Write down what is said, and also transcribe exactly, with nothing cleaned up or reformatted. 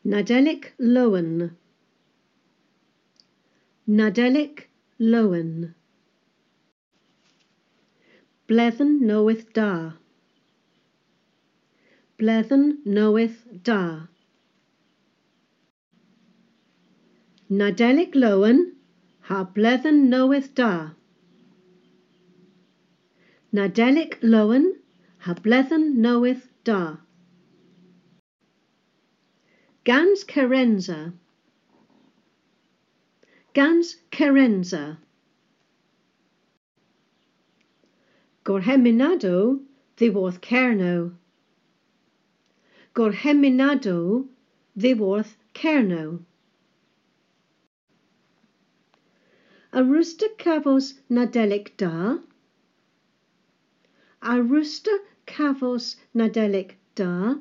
Nadolig Lawen. Nadolig Lawen. Blwyddyn Newydd Dda. Blwyddyn Newydd Dda. Nadolig Lawen ha Blwyddyn Newydd Dda. Nadolig Lawen ha Blwyddyn Newydd Dda. Gans Kerensa. Gans Kerensa. Gorheminado ddiworth Kernow. Gorheminado ddiworth Kernow. A rooster cavos Nadolig da. A rooster cavos Nadolig da.